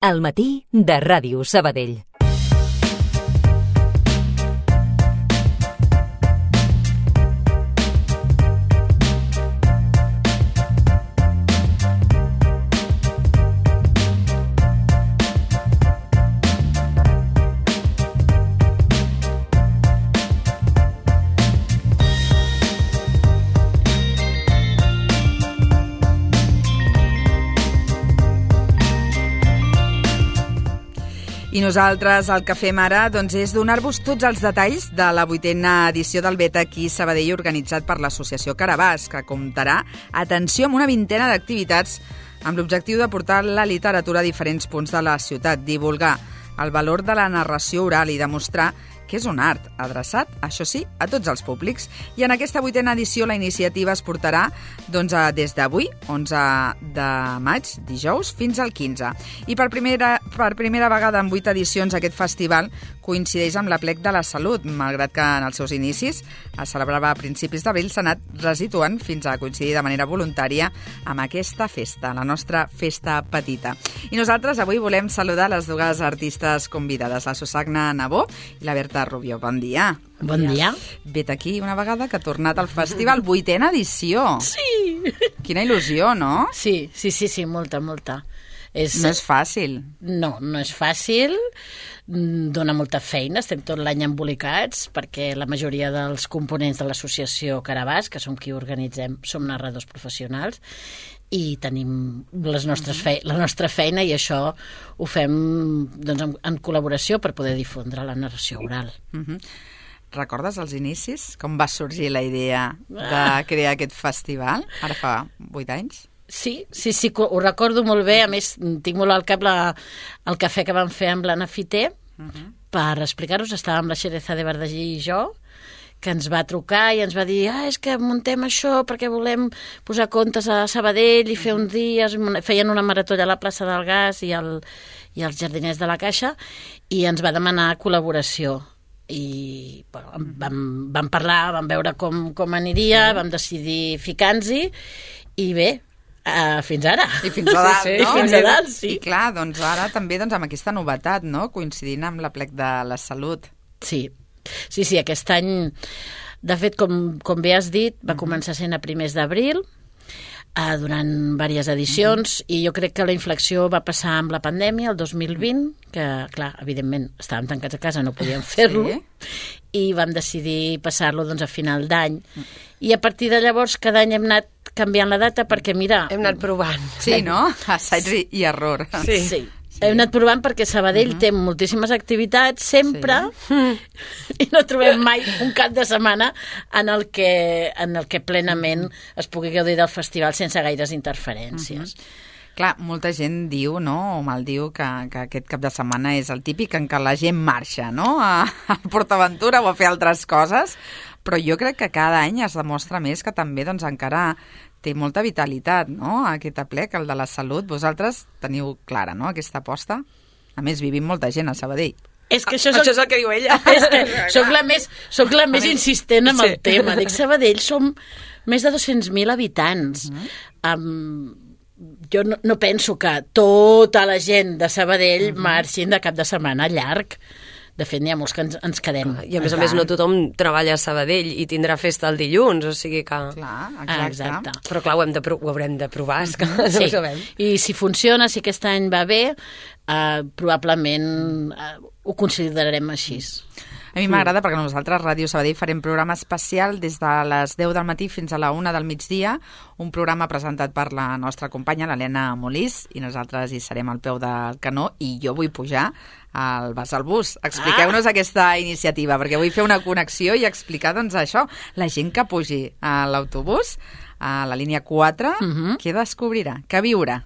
Al matí de Ràdio Sabadell. I nosaltres el que fem ara és donar-vos tots els detalls de la 8a edició del Bet aquí Sabadell organitzat per l'associació Carabàs, que comptarà, atenció, amb una vintena d'activitats amb l'objectiu de portar la literatura a diferents punts de la ciutat, divulgar el valor de la narració oral i demostrar que és un art adreçat, això sí, a tots els públics. I en aquesta 8a edició la iniciativa es portarà des d'avui, 11 de maig, dijous, fins al 15. I per primera vegada en 8 edicions aquest festival coincideix amb l'Aplec de la Salut, malgrat que en els seus inicis es celebrava a principis d'abril, s'ha anat resituant fins a coincidir de manera voluntària amb aquesta festa, la nostra festa petita. I nosaltres avui volem saludar les dues artistes convidades, la Susagna Nabó i la Berta Rubio. Bon dia. Bon dia. Vet aquí una vegada que ha tornat al festival, 8a edició. Sí. Quina il·lusió, no? Sí, molta. No és fàcil. No és fàcil, dona molta feina, estem tot l'any embolicats, perquè la majoria dels components de l'associació Carabàs, que som qui organitzem, som narradors professionals, i tenim la nostra feina, i això ho fem en col·laboració per poder difondre la narració oral. Recordes els inicis? Com va sorgir la idea de crear aquest festival? Ara fa 8 anys? Sí, ho recordo molt bé. A més, tinc molt al cap el cafè que vam fer amb l'Anna Fiter per explicar-nos. Estàvem la Xereza de Verdagí i jo, que ens va trucar i ens va dir és que muntem això perquè volem posar contes a Sabadell i fer uns dies. Feien una marató a la plaça del Gas i als jardiners de la Caixa, i ens va demanar col·laboració. I vam parlar, vam veure com aniria, vam decidir ficar-nos-hi, i bé, fins ara. I fins a dalt, no? I fins a dalt, sí. I clar, ara també amb aquesta novetat, no? Coincidint amb l'Aplec de la Salut. Sí, aquest any, de fet, com bé has dit, va començar sent a primers d'abril, durant diverses edicions, i jo crec que la inflexió va passar amb la pandèmia, el 2020, que, clar, evidentment, estàvem tancats a casa, no podíem fer-lo, i vam decidir passar-lo a final d'any. I a partir de llavors, cada any hem anat canviant la data perquè, mira... Hem anat provant. Sí, no? Assaig i error. Sí. Hem anat provant perquè Sabadell té moltíssimes activitats sempre, i no trobem mai un cap de setmana en el que plenament es pugui gaudir del festival sense gaires interferències. Clar, molta gent diu, no?, o maldiu que aquest cap de setmana és el típic en què la gent marxa, no?, a PortAventura o a fer altres coses, però jo crec que cada any es demostra més que també encara té molta vitalitat, no?, aquest aplec, el de la salut. Vosaltres teniu clara, no?, aquesta aposta. A més, vivim molta gent a Sabadell. És que això és el que diu ella. És que soc la més insistent amb el tema. Dic, Sabadell som més de 200.000 habitants. Jo no penso que tota la gent de Sabadell marxin de cap de setmana llarg. De fet, n'hi ha molts que ens quedem. I a més, no tothom treballa a Sabadell i tindrà festa el dilluns, o sigui que... Clar, exacte. Però clar, ho haurem de provar, és que no ho sabem. I si funciona, si aquest any va bé, probablement ho considerarem així. A mi m'agrada perquè nosaltres, Ràdio Sabadell, farem programa especial des de les 10 del matí fins a la 1 del migdia, un programa presentat per la nostra companya, l'Helena Molís, i nosaltres hi serem al peu del canó, i jo vull pujar al Vas al Bus. Expliqueu-nos aquesta iniciativa, perquè vull fer una connexió i explicar, això, la gent que pugi a l'autobús, a la línia 4, què descobrirà, què viurà?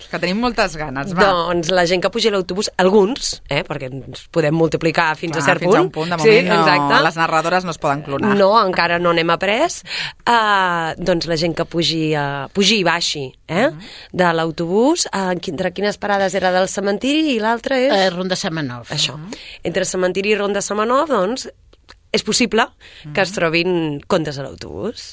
Que tenim moltes ganes, va. Doncs la gent que pugi a l'autobús, alguns, perquè ens podem multiplicar fins a cert punt. Fins a un punt, de moment les narradores no es poden clonar. No, encara no n'hem après. Doncs la gent que pugi i baixi de l'autobús, entre quines parades era del cementiri i l'altra és... Ronda Semenov. Això. Entre cementiri i Ronda Semenov, doncs, és possible que es trobin contes a l'autobús.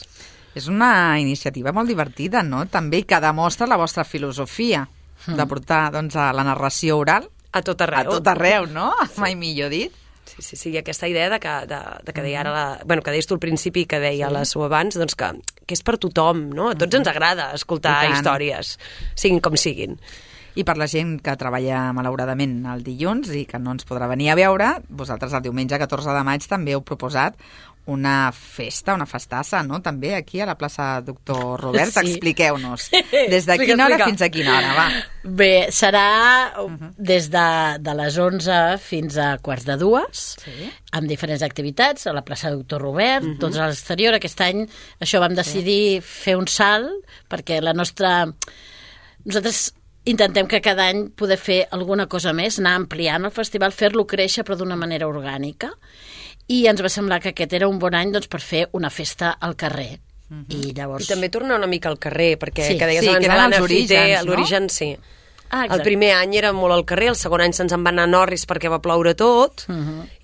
És una iniciativa molt divertida, no?, també, que demostra la vostra filosofia. de portar doncs, a la narració oral A tot arreu. a tot arreu, no? Mai millor dit. Sí, aquesta idea de que deia ara que deies tu al principi, que deia la Sue abans, doncs que és per tothom, no? A tots ens agrada escoltar històries, siguin com siguin. I per la gent que treballa malauradament el dilluns i que no ens podrà venir a veure, vosaltres el diumenge 14 de maig també heu proposat una festa, una festassa, no? També aquí a la plaça Doctor Robert. Sí. Expliqueu-nos. Des de quina hora fins a quina hora, va? Bé, serà des de les 11 fins a quarts de 2, amb diferents activitats, a la plaça Doctor Robert, tots a l'exterior. Aquest any això vam decidir fer un salt, perquè nosaltres intentem que cada any poder fer alguna cosa més, anar ampliant el festival, fer-lo créixer però d'una manera orgànica, i ens va semblar que aquest era un bon any doncs, per fer una festa al carrer. I llavors... I també tornar una mica al carrer, perquè que deies que abans eren l'Anna els Fiter, orígens, no? l'origen sí. exacte. El primer any era molt al carrer, el segon any se'ns en va anar a Norris perquè va ploure tot,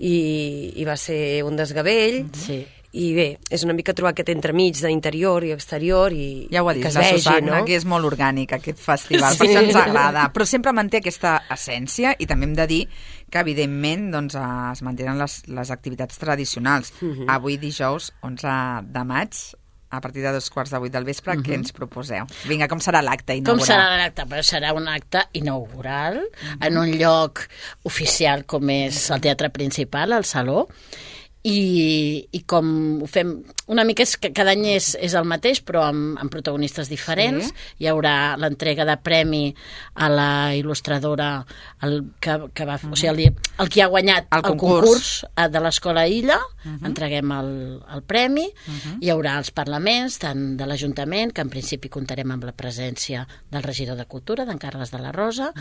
i va ser un desgavell. Sí. I bé, és una mica trobar aquest entremig d'interior i exterior i ja ho ha dit, que es la vegi, Susana, no? que és molt orgànic aquest festival, per això ens agrada, però sempre manté aquesta essència, i també hem de dir que evidentment doncs, es mantenen les activitats tradicionals. Avui dijous 11 de maig, a partir de 2:15 del vespre, què ens proposeu? Vinga, com serà l'acte inaugural? Com serà l'acte? Però serà un acte inaugural en un lloc oficial com és el Teatre Principal, el Saló, i com ho fem una mica és que cada any és el mateix però amb protagonistes diferents. Hi haurà l'entrega de premi a la il·lustradora el que ha guanyat el concurs de l'Escola Illa, entreguem el premi. Hi haurà els parlaments tant de l'Ajuntament, que en principi comptarem amb la presència del regidor de Cultura, d'en Carles de la Rosa,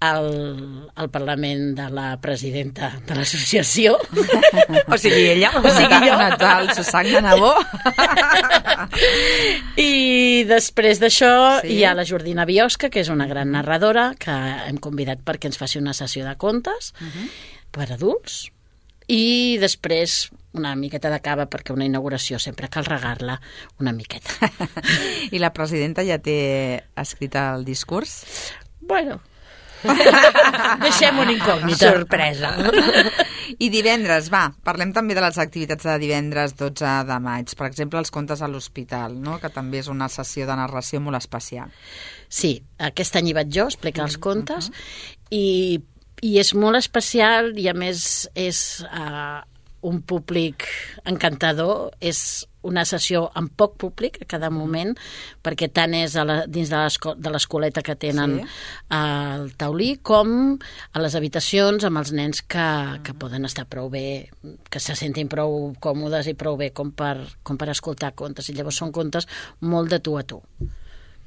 el Parlament de la presidenta de l'associació O sigui, ella. Natal, Susana Nabó. I després d'això hi ha la Jordina Biosca, que és una gran narradora que hem convidat perquè ens faci una sessió de contes per adults, i després una miqueta de cava, perquè una inauguració sempre cal regar-la una miqueta. I la presidenta ja té escrit el discurs? Bueno, deixem una incògnita. Sorpresa. I divendres, parlem també de les activitats de divendres 12 de maig. Per exemple, els contes a l'hospital, no? Que també és una sessió de narració molt especial. Sí, aquest any hi vaig jo a explicar els contes, i és molt especial, i a més és un públic encantador, és una sessió amb poc públic a cada moment, perquè tant és dins de l'escoleta que tenen al taulí com a les habitacions amb els nens que poden estar prou bé, que se sentin prou còmodes i prou bé com per escoltar contes, i llavors són contes molt de tu a tu,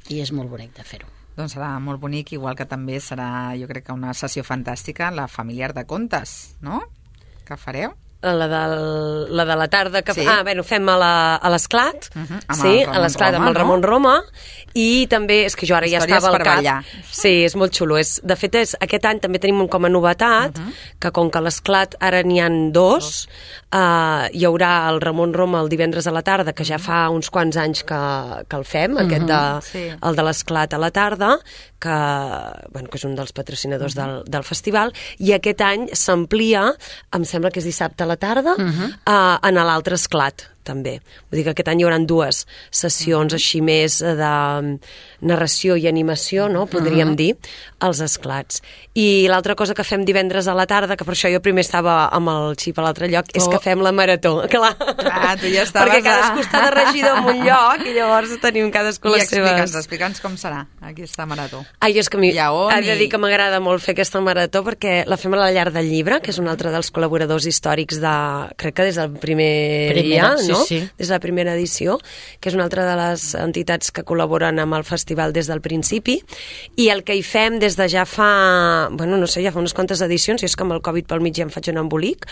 i és molt bonic de fer-ho. Doncs serà molt bonic, igual que també serà, jo crec que una sessió fantàstica, la familiar de contes, no? Que fareu? La de la tarda que fem a l'Esclat, a l'Esclat amb el Ramon Roma, i també, és que jo ara ja estava al cap. Ballar. Sí, és molt xulo. De fet, aquest any també tenim com a novetat que com que a l'Esclat ara n'hi ha dos, hi haurà el Ramon Roma el divendres a la tarda, que ja fa uns quants anys que el fem, el de l'Esclat a la tarda, que és un dels patrocinadors del festival, i aquest any s'amplia, em sembla que és dissabte a la tarda, en l'altre Esclat, també. Vull dir que aquest any hi haurà dues sessions així més de narració i animació, no? Podríem dir, als Esclats. I l'altra cosa que fem divendres a la tarda, que per això jo primer estava amb el xip a l'altre lloc, és que fem la marató. Clar, tu ja estaves... Perquè cadascú està de regidor en un lloc i llavors tenim cadascú les seves... Explica'ns com serà aquesta marató. És que he de dir que m'agrada molt fer aquesta marató perquè la fem a la Llar del Llibre, que és un altre dels col·laboradors històrics crec que des del primer dia, no? Sí. Des de la primera edició, que és una altra de les entitats que col·laboren amb el festival des del principi, i el que hi fem des de ja fa, ja fa unes quantes edicions, i és que amb el Covid pel mig ja em faig un embolic,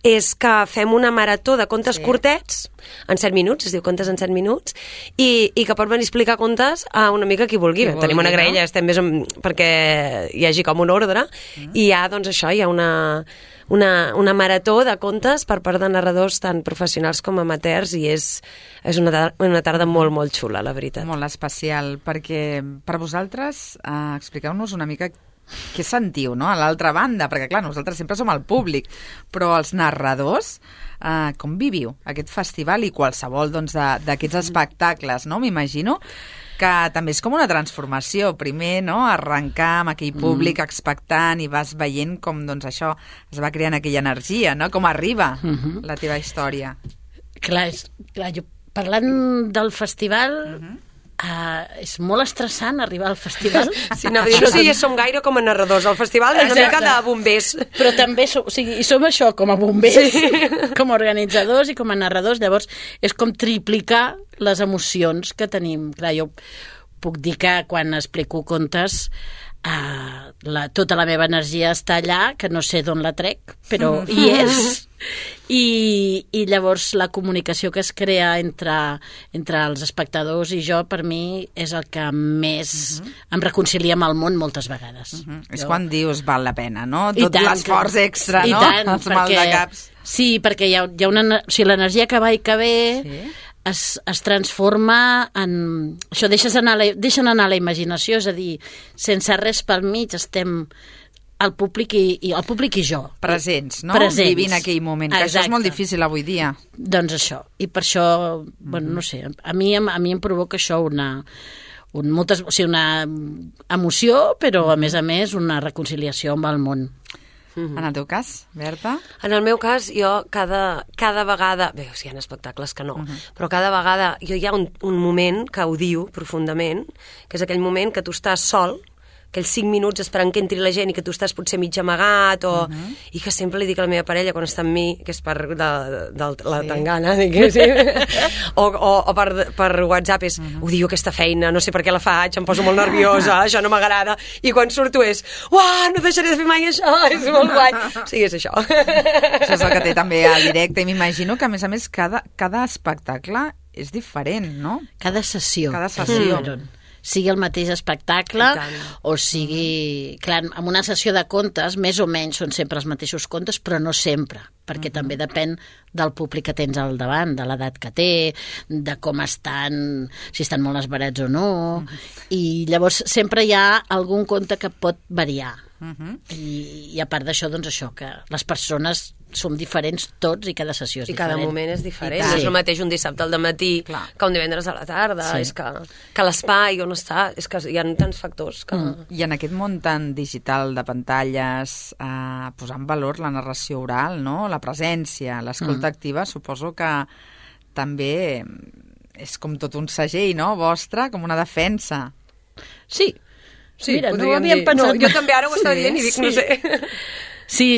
és que fem una marató de contes curtets, en 7 minuts, es diu Contes en 7 minuts, i que pot venir a explicar contes a una mica qui vulgui. Tenim una graella, estem més perquè hi hagi com un ordre, i hi ha, doncs això, hi ha una marató de contes per part de narradors tan professionals com amateurs i és una tarda molt, molt xula, la veritat. Molt especial, perquè per vosaltres expliqueu-nos una mica què sentiu, no?, a l'altra banda, perquè clar, nosaltres sempre som el públic, però els narradors, com viviu aquest festival i qualsevol d'aquests espectacles, no?, m'imagino que també és com una transformació. Primer, no?, arrencar amb aquell públic expectant i vas veient com, doncs, això es va creant aquella energia, no?, com arriba la teva història. Clar, jo parlant del festival... és molt estressant arribar al festival. Sí, no sé si som gaire com a narradors. Al festival és una mica de bombers. Però també som això, com a bombers, com a organitzadors i com a narradors. Llavors, és com triplicar les emocions que tenim. Clar, jo puc dir que quan explico contes tota la meva energia està allà, que no sé d'on la trec, però hi és. I llavors la comunicació que es crea entre els espectadors i jo, per mi, és el que més em reconcilia amb el món moltes vegades. És quan dius val la pena, no? Tot l'esforç extra, no? Els maldecaps. Sí, perquè hi ha una... O sigui, l'energia que va i que ve... Sí. Es transforma en... Això, deixen anar la imaginació, és a dir, sense res pel mig estem el públic i jo. Presents, no? Presents. Vivint aquell moment, que això és molt difícil avui dia. Doncs això. I per això, bueno, no sé, a mi em provoca això una emoció, però a més una reconciliació amb el món. En el teu cas, Berta? En el meu cas, jo cada vegada... Bé, o sigui, hi ha espectacles que no, però cada vegada hi ha un moment que odio profundament, que és aquell moment que tu estàs sol, aquells 5 minuts esperant que entri la gent i que tu estàs potser mig amagat, i que sempre li dic a la meva parella quan està amb mi, que és per la tangana, o per WhatsApp, és odio aquesta feina, no sé per què la faig, em poso molt nerviosa, això no m'agrada, i quan surto és, uah, no deixaré de fer mai això, és molt guai. O sigui, és això. Això és el que té també al directe, i m'imagino que, a més, cada espectacle és diferent, no? Cada sessió. Sigui el mateix espectacle o sigui... Clar, en una sessió de contes, més o menys són sempre els mateixos contes, però no sempre, perquè també depèn del públic que tens al davant, de l'edat que té, de com estan, si estan molt esverats o no, i llavors sempre hi ha algun conte que pot variar. I a part d'això, doncs això, que les persones som diferents tots i cada sessió és diferent. I cada moment és diferent. És el mateix un dissabte al matí que un divendres a la tarda. És que l'espai on està, és que hi ha tants factors. I en aquest món tan digital de pantalles, posar en valor la narració oral, no?, la presència, l'escolta activa, suposo que també és com tot un segell, no?, vostre, com una defensa. Sí. Mira, no ho havíem pensat. Jo també ara ho estava dient i dic, no sé... Sí,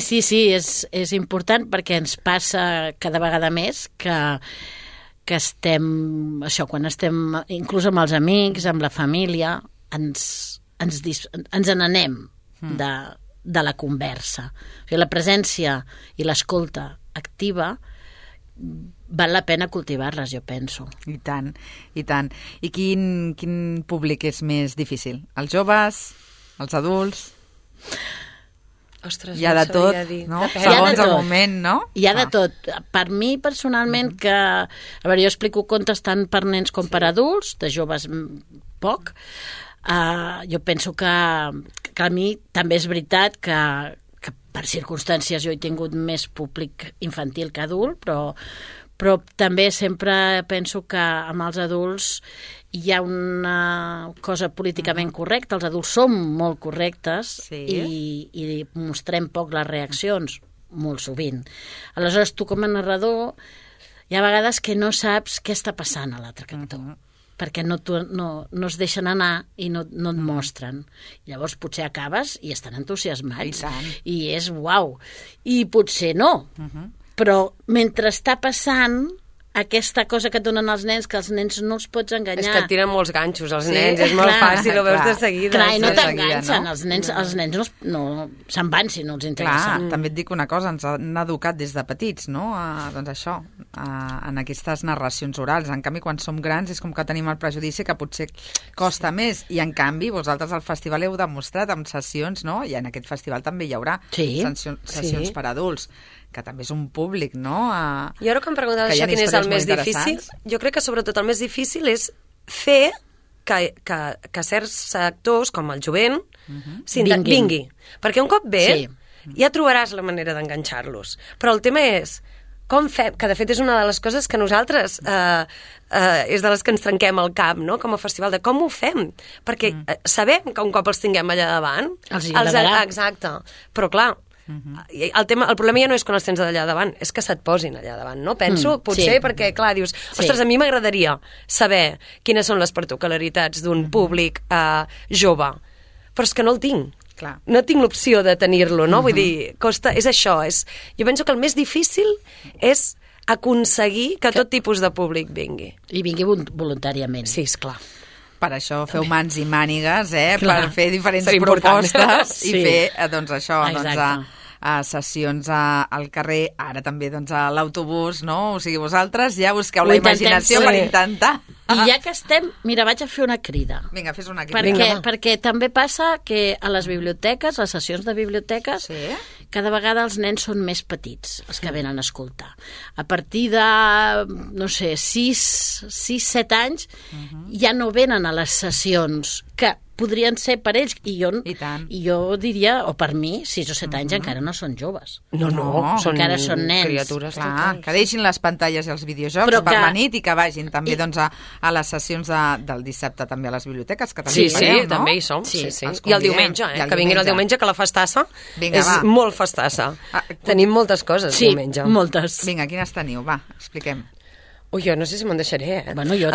és important perquè ens passa cada vegada més que estem, això, quan estem inclús amb els amics, amb la família, ens n'anem de la conversa. O sigui, la presència i l'escolta activa val la pena cultivar-les, jo penso. I tant, i tant. I quin públic és més difícil? Els joves? Els adults? Ostres, hi ha de tot, no? Segons el moment, no? Hi ha de tot. Per mi, personalment, que... A veure, jo explico contes tant per nens com per adults, de joves poc. Jo penso que a mi també és veritat que per circumstàncies jo he tingut més públic infantil que adult, però també sempre penso que amb els adults hi ha una cosa políticament correcta. Els adults som molt correctes i mostrem poc les reaccions, molt sovint. Aleshores, tu com a narrador hi ha vegades que no saps què està passant a l'altre cantó, perquè no es deixen anar i no et mostren. Llavors potser acabes i estan entusiasmats i és uau. I potser no, però mentre està passant aquesta cosa que et donen els nens, que els nens no els pots enganyar. És que et tiren molts ganxos, els nens, és molt fàcil, ho veus de seguida. Clar, i no de seguida, t'enganxen, no? els nens no se'n van si no els interessa. Clar, també et dic una cosa, ens han educat des de petits, no? Doncs això, en aquestes narracions orals. En canvi, quan som grans és com que tenim el prejudici que potser costa més. I en canvi, vosaltres al festival heu demostrat amb sessions, no? I en aquest festival també hi haurà sessions per adults, que també és un públic, no? I ara que em preguntes això, quin és el més difícil, jo crec que sobretot el més difícil és fer que certs sectors, com el jovent, vingui. Perquè un cop ve, ja trobaràs la manera d'enganxar-los. Però el tema és com fem, que de fet és una de les coses que nosaltres és de les que ens trenquem el cap, no?, com a festival, de com ho fem, perquè sabem que un cop els tinguem allà davant els agradarà. Exacte, però clar, el problema ja no és quan els tens allà davant, és que se't posin allà davant, no? Penso, potser, perquè clar, dius, ostres, a mi m'agradaria saber quines són les particularitats d'un públic jove, però és que no el tinc. Clar. No tinc l'opció de tenir-lo, no? Vull dir, és això. Jo penso que el més difícil és aconseguir que tot tipus de públic vingui. I vingui voluntàriament. Sí, esclar. Per això feu mans i mànigues, per fer diferents propostes i fer, doncs això, sessions al carrer, ara també doncs, a l'autobús, no? O sigui, vosaltres ja busqueu la imaginació per intentar. I ja que estem, mira, vaig a fer una crida. Vinga, fes una crida. Perquè també passa que a les biblioteques, les sessions de biblioteques, cada vegada els nens són més petits, els que venen a escoltar. A partir de, no sé, 6-7 anys, ja no venen a les sessions que podrien ser per ells, i jo diria, o per mi, 6 o 7 anys encara no són joves. No, encara són nens. Criatures. Clar, que deixin les pantalles i els videojocs per la nit i que vagin també doncs, a les sessions del dissabte també a les biblioteques, que també fareu, no? També hi som. I el diumenge, que vinguin el diumenge, que la festassa és molt festassa. Tenim moltes coses diumenge. Sí, moltes. Vinga, quines teniu? Va, expliquem. Ui, jo no sé si me'n deixaré, Bueno, jo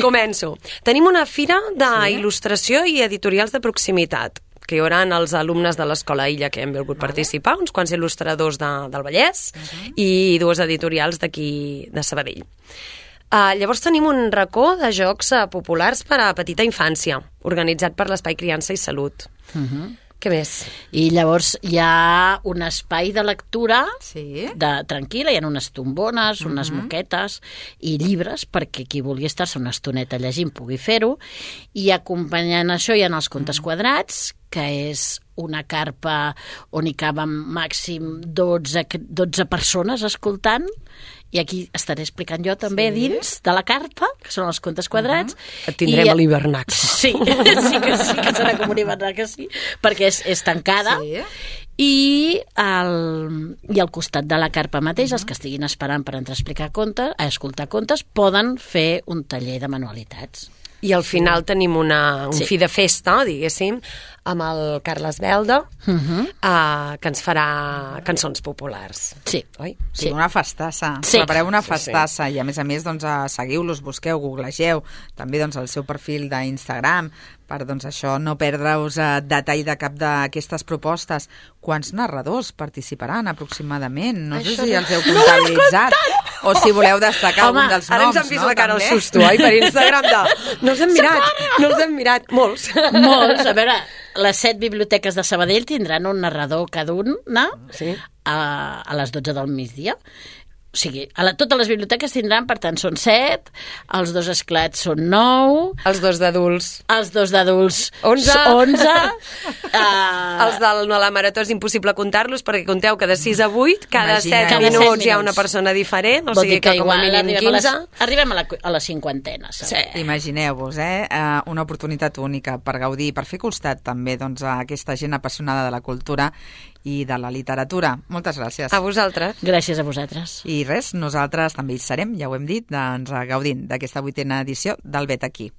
Començo. Tenim una fira d'il·lustració i editorials de proximitat, que hi haurà els alumnes de l'Escola Illa que hem volgut participar, uns quants il·lustradors del Vallès i 2 editorials d'aquí de Sabadell. Llavors tenim un racó de jocs populars per a petita infància, organitzat per l'Espai Criança i Salut. Què més? I llavors hi ha un espai de lectura tranquil·la, hi ha unes tombones, unes moquetes i llibres perquè qui vulgui estar-se una estoneta llegint pugui fer-ho, i acompanyant això hi ha els contes quadrats, que és una carpa on hi caben màxim 12 persones escoltant, i aquí estaré explicant jo també dins de la carpa, que són els contes quadrats. Et tindrem a l'hivernac. Sí que serà com un hivernac, perquè és tancada. I al costat de la carpa mateix, els que estiguin esperant per entrar a escoltar contes, poden fer un taller de manualitats. I al final tenim un fi de festa, diguéssim, amb el Carles Belda, que ens farà cançons populars. Sí. Oi? Sí, una festassa. Prepareu una festassa i a més los seguiu-los, busqueu, googlegeu també doncs, el seu perfil d'Instagram per doncs, això no perdre-us detall de cap d'aquestes propostes. Quants narradors participaran aproximadament? No sé si els heu comptabilitzat o si voleu destacar algun dels noms. Ara ens han vist la cara al susto, per Instagram no els hem mirat. Molts. A veure, les 7 biblioteques de Sabadell tindran un narrador cada una a les 12 del migdia. O sigui, totes les biblioteques tindran, per tant, són 7, els 2 esclats són 9... Els 2 d'adults. Els 2 d'adults 11. Els de la marató és impossible comptar-los, perquè compteu que de 6 a 8, cada 7 minuts hi ha una persona diferent, o sigui que com a mínim 15... Arribem a la 50ena. Imagineu-vos, una oportunitat única per gaudir, per fer costat també a aquesta gent apassionada de la cultura i de la literatura. Moltes gràcies. A vosaltres. Gràcies a vosaltres. I res, nosaltres també hi serem, ja ho hem dit, gaudint d'aquesta 8ª edició del Vet aquí.